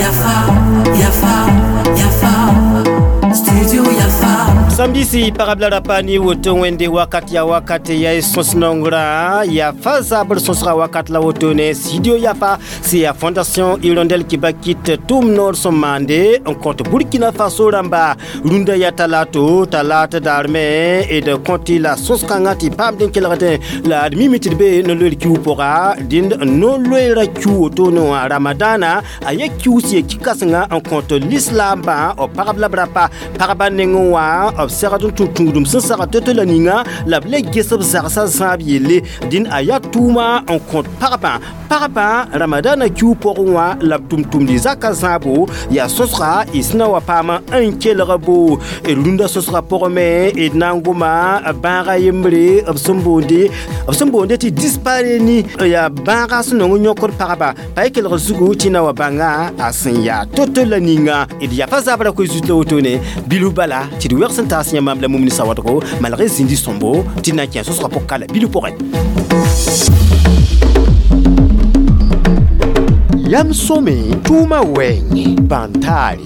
Yafa, Yafa, Yafa, Studio Yafa. Sambisi pagb la rapa ne woto wẽnde wakat ya wakat ya y sõs nongrã ya fa zabr sõsga wakat la wotone studio Yafa c'est ya Fondation Hirondelle ki bakit tʋʋm noor sẽn maande n kõt Burkina Faso rãmba rũndã ya talato talata daar me d kõt la sõs-kãngã tɩ paamd n kelgdẽ la d mime tɩ d be no-loeer kiu pʋga dẽnd no-loeerã kiu wotone wã ramadana a ya kius ye ki-kãsenga n kõt lislaambã b pagb la b rapa pagba nengẽ wã b segd n tũ tũudum sẽn sagd to-to la ninga la b le ges b zagsã zãab yelle dĩn a yaa tʋʋma n kõt pagbã pagbã ramadana kiu pʋgẽ wã la b tʋm-tʋmdi zaka zãabo yaa sõsga y sẽn na wa paama n kelg bo d rũndã sõsga pʋgẽ me d na n goma bãaga yembre b sẽn boonde tɩ dispareni yaa bãaga sẽn nong n yõkd pagba pa y kelg zugu tɩ na wa bãnga a sẽn yaa to-to la ninga d yafa zabra koe zut la wotone bilf bala tɩ d wɛgs n taas yãmb la mumni sawadgo malgré zĩndi sõmbo tɩ na n kẽ sõsgã pʋg ka la bilf pʋgẽ. Yam sõme tʋʋma wɛɛngẽ bãn-taare.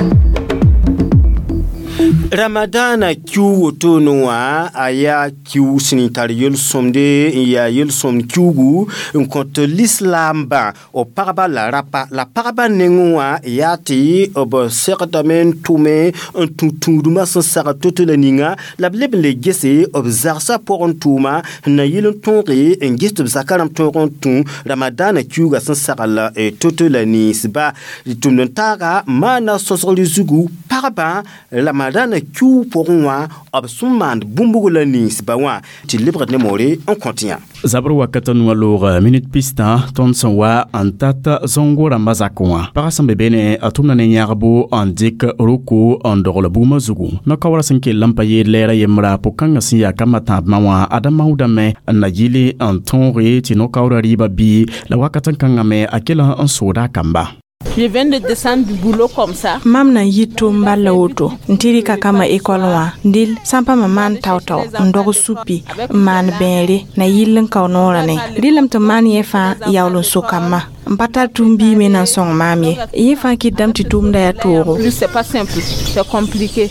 Ramadana kiu wotone wã a yaa kiu sẽn tar yel-sõmde n yaa yel-sõmd kiugu n kõt lislaambã b pagba la rapa la pagba nengẽ wã yaa tɩ b segdame n tʋme n tũ tũudmã sẽn sagd to-to la ninga la b leb n le gese b zagsã pʋgẽ tʋʋma n na yɩl n tõoge n ges tɩ b zaka rãmb tõog n tũ ramadana kiuga sẽn sagl to-to la ninsba tʋmd n taaga maana sõsgr zugu pagba ramadana kiu pʋgẽ wã b sẽn maand bũmb la ninsba wã tɩ lebgd ne moore n kõt yã. Zabr wakat n wa loog minit pistã tõnd sẽn wa n tat zõngo rãmbã zakẽ wã pagã sẽn be beene a tʋmda ne yãgbo n dɩk roko n dogl bugmã zugu no-kaoorã sẽn kell n pa yeel lɛɛrã yembra pʋg-kãngã sẽn yaa kambã tãabmã wã ada maoodame n na yɩle n tõoge tɩ no-kaoorã rɩɩbã bɩ la wakat n kãngã me a kell n sooda a kamba. Je viens de descendre du boulot comme ça. Mam na yɩ tʋʋm bal la woto n tɩ rɩka kambã ekɔl wã dɩl sã n pa ma maan tao-tao n dog supi n maan bẽere na yɩll n kao noorã ne rɩlame tɩ maan yẽ fãa yaool n sokame n pa tar tũum-biig me na n sõng maam ye yẽ fãa kɩtdame tɩ tʋʋmda yaa toogo. Plus c'est pas simple, c'est compliqué.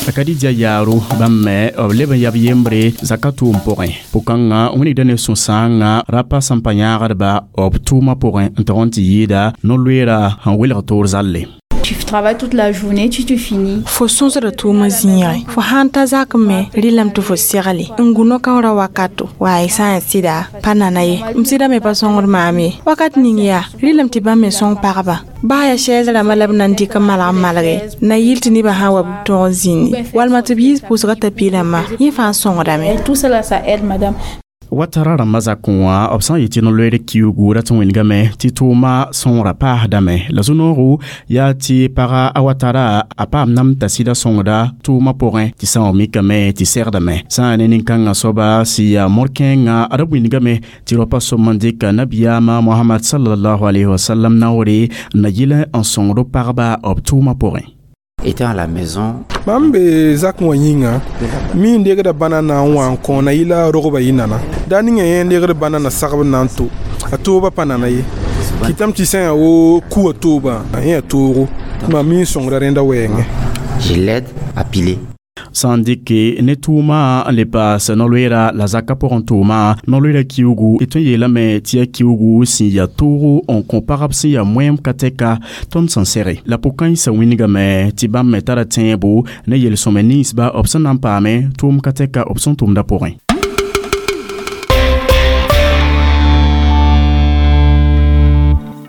A Kadidia yaaro bãmb me b leb n yab yembre zaka tʋʋm pʋgẽ pʋ-kãngã wĩnigda ne sũ-sãangã rapa sẽn pa yãagdba b tʋʋmã pʋgẽ n tog n tɩ yɩɩda no-loeera sẽn welg toor zalle. Tu travailles toute la journée, tu finis. Fo sõsda tʋʋmã zĩigẽ fo sãn ta zak me rɩlame tɩ fo segle n gu no-kaoorã wakato wa y sã n yaa sɩda pa nana ye m sɩda me pa sõngd maam ye wakat ning yaa rɩlame tɩ bãmb me sõng pagba baa yaa sɛɛs rãmbã la b na n dɩk n malg n malge na yɩl tɩ nebã sã n wa b tõog n zĩndi walma tɩ b yiis pʋʋsgã t'a piirãmbã yẽ fãa sõngdame. Tout cela, ça aide, madame. Watara rãmbã zakẽ wã b sã n yetɩ no-loeer kiugu rat n wĩnigame tɩ tʋʋma sõora paasdame la zu-noogo yaa tɩ paga a Watara a paam nam t'a sɩda sõngda tʋʋmã pʋgẽ tɩ sã n wa mikame tɩ segdame sã n ne nin-kãngã soaba sẽn yaa mor-kẽengã a ra wĩnigame tɩ raopa sõm n dɩka nabiyaamã Mohamad sallallahu alayhi wa sallam naoore n na yɩl n sõngd pagba b tʋʋmã pʋgẽ. Étant à la maison, mam be zak wã yĩnga mi n degda bãna na n wa n kõ na yɩla rogba yɩ nana daa ninga yẽ n degd bãna na sagb n na n to a tooba pa nana ye kɩtame tɩ sã n yaa wo kuwa toobã yẽ yaa toogo mam mi n sõngda rẽnda wɛɛngẽ. Je l'aide à piler. Sã n dɩke ne tʋʋma n le paas no-loeera la zakã pʋgẽ tʋʋma no-loeerã kiugu d tõe n yeelame tɩ yaa kiugu sẽn yaa toogo n kõ pagb sẽn yaa moɛɛm ka tɛka tõnd sẽn sɛge la pʋg-kãensã wĩnigame tɩ bãmb me tara tẽebo ne yel-sõme ninsba b sẽn na n paame tʋʋm ka tɛka b sẽn tʋmdã pʋgẽ.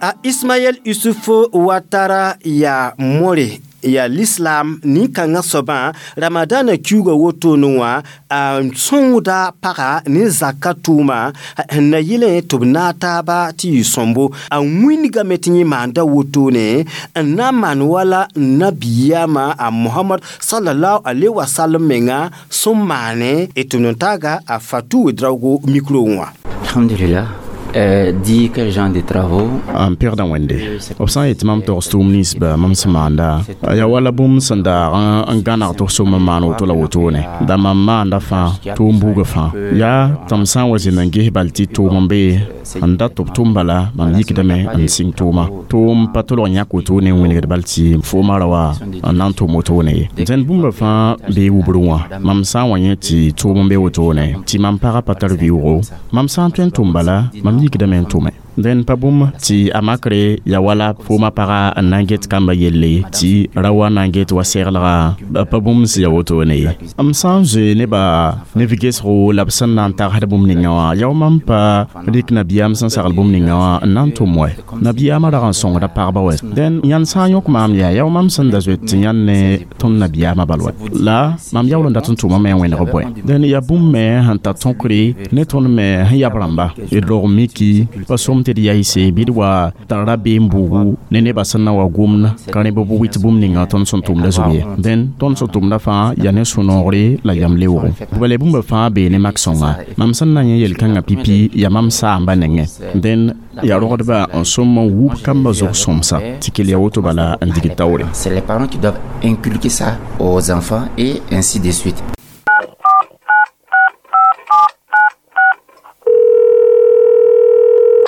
A Ismaël Youssouf Ouattara ya more ya l'islam nin-kãngã soabã ramadana kiuga wotone wã a sõngda paga ne zaka tʋʋma n na yɩlẽ tɩ b naag taaba tɩ yɩ sõmbo a wĩnigame tɩ yẽ maanda wotone n na n maan wala nabiyaamã a Mohamad sallallahu alaihi wasallam menga sẽn maane d tʋmd n taaga a Fatou Ouedraogo micro wã. Alhamdulillah. Dire quel genre de travaux. N pẽgda Wẽnde b sã n yet mam togs tʋʋm ninsba mam sẽn maanda yaa wala bũmb sẽn daag n gãneg tɩ f som n maan woto la wotone da mam maanda fãa tʋʋm buugã fãa yaa tɩ m sã n wa zĩnd n ges bal tɩ tʋʋm n bee n dat tɩ b tʋm bala mam yikdame n sɩng tʋʋma tʋʋm pa tolg yãk wotone n wilgd bal tɩ fooma ra wa n na n tʋm wotone ye dẽnd bũmba fãa bee wubr wã mam sã n wa yẽ tɩ tʋʋm n be wotone tɩ mam pagã pa tar vɩʋʋgo mam sã n tõe n tʋm bala mam yikdame n tʋme dẽn pa bũmb tɩ a makre ya wala fooma paga n na n get kamba yelle tɩ ra wa na n get wa seglga pa bũmb sẽn ya wotone ye m sã n zoe nebã ne v-gesgo la b sẽn na n tagsd bũmb ninga wã yao mam pa rɩk nabiyaam sẽn sagl bũmb ninga wã n na n tʋm wɛ nabiyaamã rag n sõngda pagba wɛ dẽn yãnd sã n yõk maam yaa yao mam sẽn da zoet tɩ yãnd ne tõnd nabiyaamã bal wɛ la mam yaool n dat n tʋmame n wẽneg bõe dẽn yaa bũmb me sẽn ta tõkre ne tõnd me sẽn yab rãmba d rog miki pa som tɩ d yaɩse bɩ d wa tar rabeem buugu ne nebã sẽn na wa gomd ka rẽ bɩ b wɩt bũmb ninga tõnd sẽn tʋmda zug ye dẽn tõnd sẽn tʋmda fãa yaa ne sũ-noogre la yam leoogo bala bũmba fãa bee ne mak-sõnga mam sẽn na yẽ yel-kãngã pipi yaa mam saamba nengẽ dẽn yaa rogdba n sõm n wub kambã zug sõmsa tɩ kell ya woto bala n digd taoore. C'est les parents qui doivent inculquer ça aux enfants et ainsi de suite.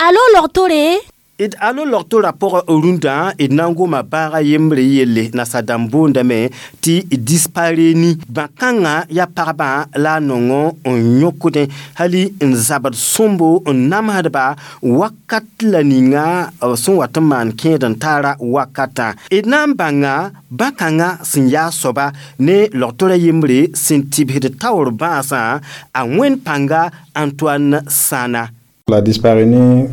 Alo logtore d alo logtora pʋgã rũndã d na n goma baaga yembre yelle nasadãmb boondame tɩ dispareni bã-kãngã yaa pagbã la a nongo n yõkdẽ hali n zabd sõmbo n namsdba wakat la ninga b sẽn wat n maan kẽed n taara wakatã d na n bãnga bã-kãngã sẽn yaa soaba ne logtora yembre sẽn tɩbsd taoor bãasã a wẽnd pãnga Antoine Sana. La dyspareunie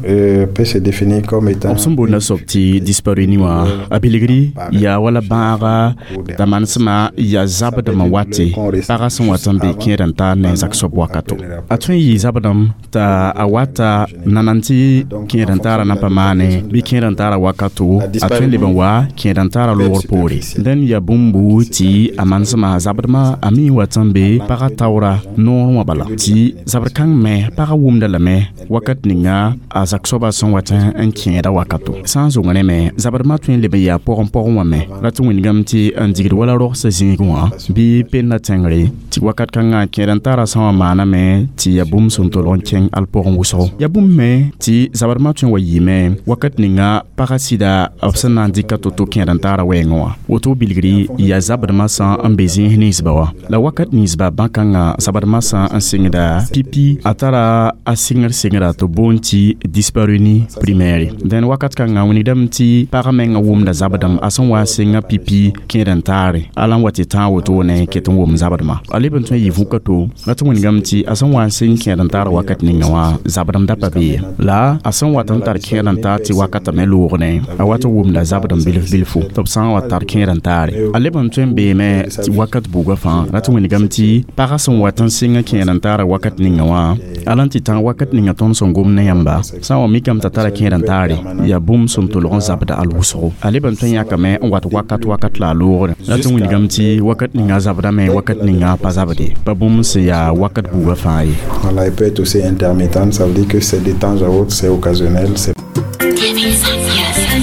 peut se définir comme étant b sẽn boonda soab tɩ dyspareunie wã a bilgri yaa wala bãaga t'a manesmã yaa zabdem n wate pagã sẽn wat n be kẽed n tar ne zak soab wakato a tõe n yɩ zabdem t'a a wata nanan tɩ kẽed n taara na pa maane bɩ kẽed n taara wakato a tõe n leb n wa kẽed n taara loogr poore dẽn yaa bũmbu tɩ a manesmã zabdmã a mi n wat n be pagã taoora noorẽ wã bala tɩ zabd kãng me pagã wʋmda lame wakat ninga a zak soaba sẽn wat n kẽeda wakato sã n zong rẽme zabdmã tõe n leb n yaa pʋgẽ pʋgẽ wã me ra tɩ wĩndgame tɩ n digd wala rogsã zĩigẽ wã bɩ penda tẽngre tɩ wakat kãngã kẽed n tara sã wã maaname tɩ yaa bũmb sẽn tolg n kẽng al pʋgẽ wʋsgo yaa bũmb me tɩ zabdmã tõe n wa yɩɩme wakat ninga pagã sɩda b sẽn na n dɩka to-to kẽed n taara wɛɛngẽ wã woto bilgri yaa zabdmã sã n be zĩis ninsba wã la wakat ninsba bã-kãngã zabdmã sã n sɩngda pipi a tara a sɩngr sɩngra tɩ boond tɩ dyspareunie primaire dẽn wakat kãngã wĩnigdame tɩ pagã mengã wʋmda zabdem a sẽn wa n sɩnga pipi kẽed n taare ala n wa tɩ tãag wotone ket n wʋm zabdmã a leb n tõe n yɩ vũka to la tɩ wĩnigame tɩ a sẽn wa n sɩng kẽed n taar wakat ninga wã zabdem da pa be ye la a sẽn wat n tar kẽed n taar tɩ wakatã me loogdẽ a wat n wʋmda zabdem bilf bilfo tɩ b sã n wa tar kẽed n taare a leb n tõe n beeme tɩ wakat buugã fãa la tɩ wĩnigame tɩ pagã sẽn wat n sɩnga kẽed n taara wakat ninga wã ala n tɩ tãag wakat ninga tõnd sẽn gom ne yãmba sã n wa mikame t'a tara kẽed n taare yaa bũmb sẽn tolg n zabda al wʋsgo a leb n tõe n yãkame n wat wakat wakat la a loogre la tɩ wĩnigame tɩ wakat ninga zabdame wakat ninga pa zabde pa bũmb sẽn yaa wakat buugã fãa ye. Voilà, il peut être aussi intermittent, ça veut dire que c'est de temps à autre, c'est occasionnel. C'est...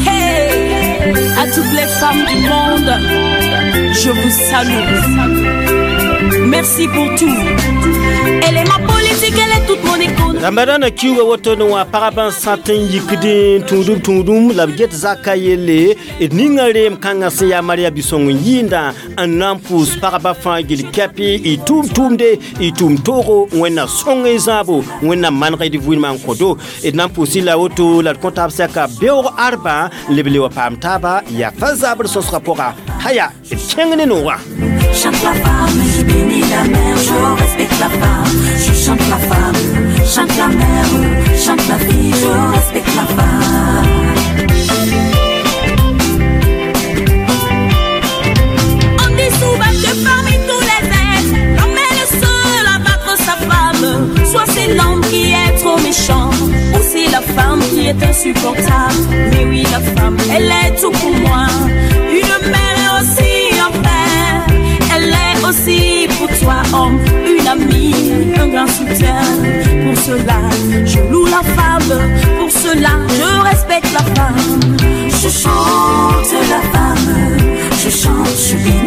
Hey, à toutes les femmes du monde, je vous salue. Merci pour tout. Elle est ma politique, elle est toute mon économie. Ramadan kiuga woto no wa pagban satin yikdin tundum tundum la b get zaka yelle d ninga reem kãngã sẽn yaa Maria Bisong n yɩɩnda n na n pʋʋs pagba fãa gil kɛpɩ y tʋʋm tʋʋmde y tʋʋm toogo Wẽnna sõng y zãabo Wẽnnaam maneg d vɩɩmã n kõ-do d na n pʋʋsɩ la woto la d kõ taab sɛka beoog arba leb le wa paam taaba yaa fa zabr sõsgã pʋga haya d kẽng ne noogã. Chante la femme, je bénis la mère, je respecte la femme. Je chante la femme, chante la mère, chante la fille, je respecte la femme. On dit souvent que parmi tous les êtres, l'homme est le seul à battre sa femme. Soit c'est l'homme qui est trop méchant, ou c'est la femme qui est insupportable. Mais oui, la femme, elle est tout pour moi. Une mère est aussi un père. Elle est aussi pour toi, homme, une amie, un grand soutien. Pour cela, je loue la femme. femme. Je chante la femme, je chante, je bénis.